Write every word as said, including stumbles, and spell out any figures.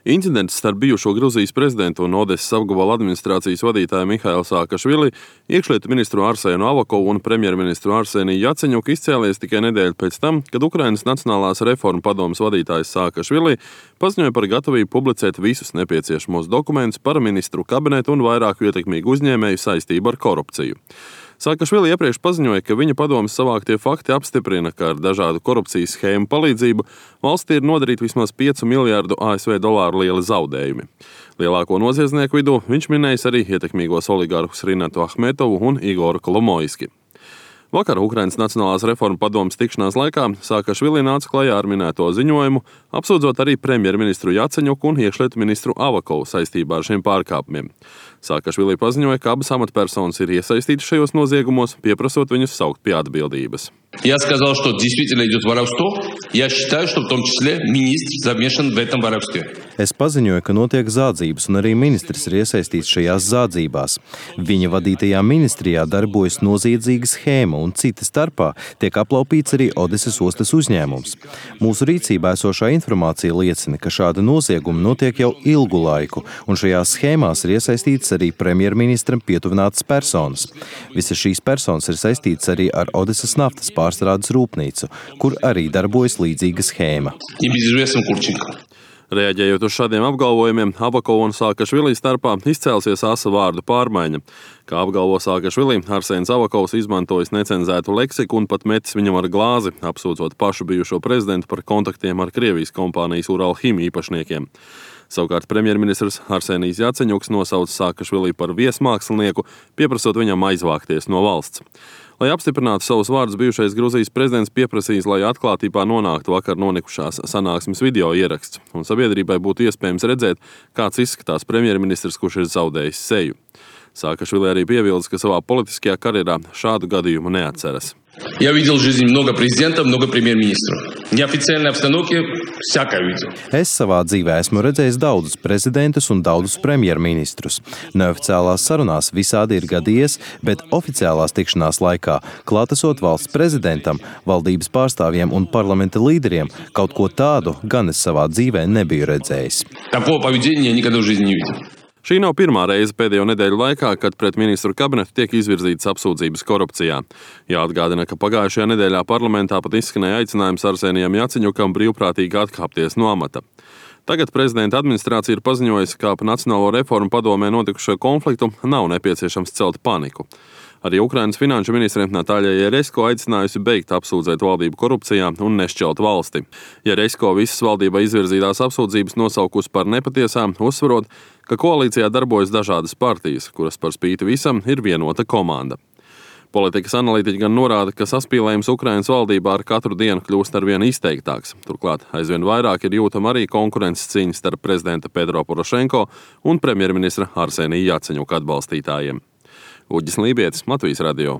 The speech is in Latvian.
Incidents starp bijušo Gruzijas prezidentu un Odesas apgabala administrācijas vadītāju Mihailu Saakašvili, iekšlietu ministru Arsēnu Avakovu un premjerministru Arseniju Jaceņuku izcēlies tikai nedēļu pēc tam, kad Ukrainas Nacionālās reformu padomes vadītājs Saakašvili paziņoja par gatavību publicēt visus nepieciešamos dokumentus par ministru kabinetu un vairāku ietekmīgu uzņēmēju saistību ar korupciju. Saakašvili iepriekš paziņoja, ka viņa padomes savāktie fakti apstiprina, ka ar dažādu korupcijas schēmu palīdzību valstī ir nodarīti vismaz piecu miljārdu A S V dolāru lieli zaudējumi. Lielāko noziedznieku vidū viņš minējis arī ietekmīgos oligarhus Rinatu Ahmetovu un Igoru Kolomoiski. Vakar Ukrainas Nacionālās reformu padomes tikšanās laikā Saakašvili nāca klajā ar minēto ziņojumu, apsūdzot arī premjerministru Jaceņuku un iekšlietu ministru Avakovu saistībā ar šiem pārkāpumiem. Saakašvili paziņoja, ka abas amatpersonas ir iesaistītas šajos noziegumos, pieprasot viņus saukt pie atbildības. Я сказал, что действительно идет воровство. Я считаю, что в том числе министр замешан в этом воровстве. Es paziņoju, ka notiek zādzības, un arī ministrs ir iesaistīts šajās zādzībās. Viņa vadītajā ministrijā darbojas noziedzīga schēma, un cita starpā tiek aplaupīts arī Odesas ostas uzņēmums. Mūsu rīcībā esošā informācija liecina, ka šāda nozieguma notiek jau ilgu laiku, un šajās schēmās ir iesaistīts arī premjerministram pietuvinātas personas. Visas šīs personas ir saistītas arī ar Odesas naftas pārstrādes rūpnīcu, kur arī darbojas līdzīga schēma. Reaģējot uz šādiem apgalvojumiem, Avakova un Saakašvili starpā izcēlsies asa vārdu pārmaiņa. Kā apgalvo Saakašvili, Arsēns Avakovs izmantojis necenzētu leksiku un pat metis viņam ar glāzi, apsūdzot pašu bijušo prezidentu par kontaktiem ar Krievijas kompānijas Uralchim īpašniekiem. Savukārt premjerministrs Arsenijs Jaceņuks nosauca Saakašvili par viesmākslinieku, pieprasot viņam aizvākties no valsts. Lai apstiprinātu savus vārdus, bijušais Gruzijas prezidents pieprasījis, lai atklātībā nonāktu vakar nonikušās sanāksmes video ieraksts, un sabiedrībai būtu iespējams redzēt, kāds izskatās premjerministrs, kurš ir zaudējis seju. Saakašvili arī piebildes, ka savā politiskajā karjerā šādu gadījumu neatceras. Я видел в жизни много президентов, много премьер-министров. Неофициальной обстановке всякое видел. Es savā dzīvē esmu redzējis daudzus prezidentus un daudzus premjerministrus. Neoficiālās sarunās visādi ir gadījies, bet oficiālās tikšanās laikā, klātesot valsts prezidentam, valdības pārstāvjiem un parlamenta līderiem, kaut ko tādu gan es savā dzīvē nebiju redzējis. Такого поведения я никогда в жизни не видел. Šī nav pirmā reize pēdējo nedēļu laikā, kad pret ministru kabinetu tiek izvirzītas apsūdzības korupcijā. Jāatgādina, ka pagājušajā nedēļā parlamentā pat izskanēja aicinājums Arsenijam Jaceņukam brīvprātīgi atkāpties no amata. Tagad prezidenta administrācija ir paziņojusi, ka ap Nacionālo reformu padomē notikušo konfliktu nav nepieciešams celt paniku. Arī Ukrainas finanšu ministre Natāļa Jeresko aicinājusi beigt apsūdzēt valdību korupcijā un nešķelt valsti. Jeresko visas valdībai izvirzītās apsūdzības nosaukusi par nepatiesām, uzsverot, ka koalīcijā darbojas dažādas partijas, kuras par spīti visam ir vienota komanda. Politikas analītiķi gan norāda, ka saspīlējums Ukrainas valdībā ar katru dienu kļūst arvien izteiktāks. Turklāt aizvien vairāk ir jūtama arī konkurences cīņa starp prezidenta Petro Porošenko un premjerministra Arsenija Jaceņuka atbalstītājiem. Uģis Lībietis, Latvijas radio.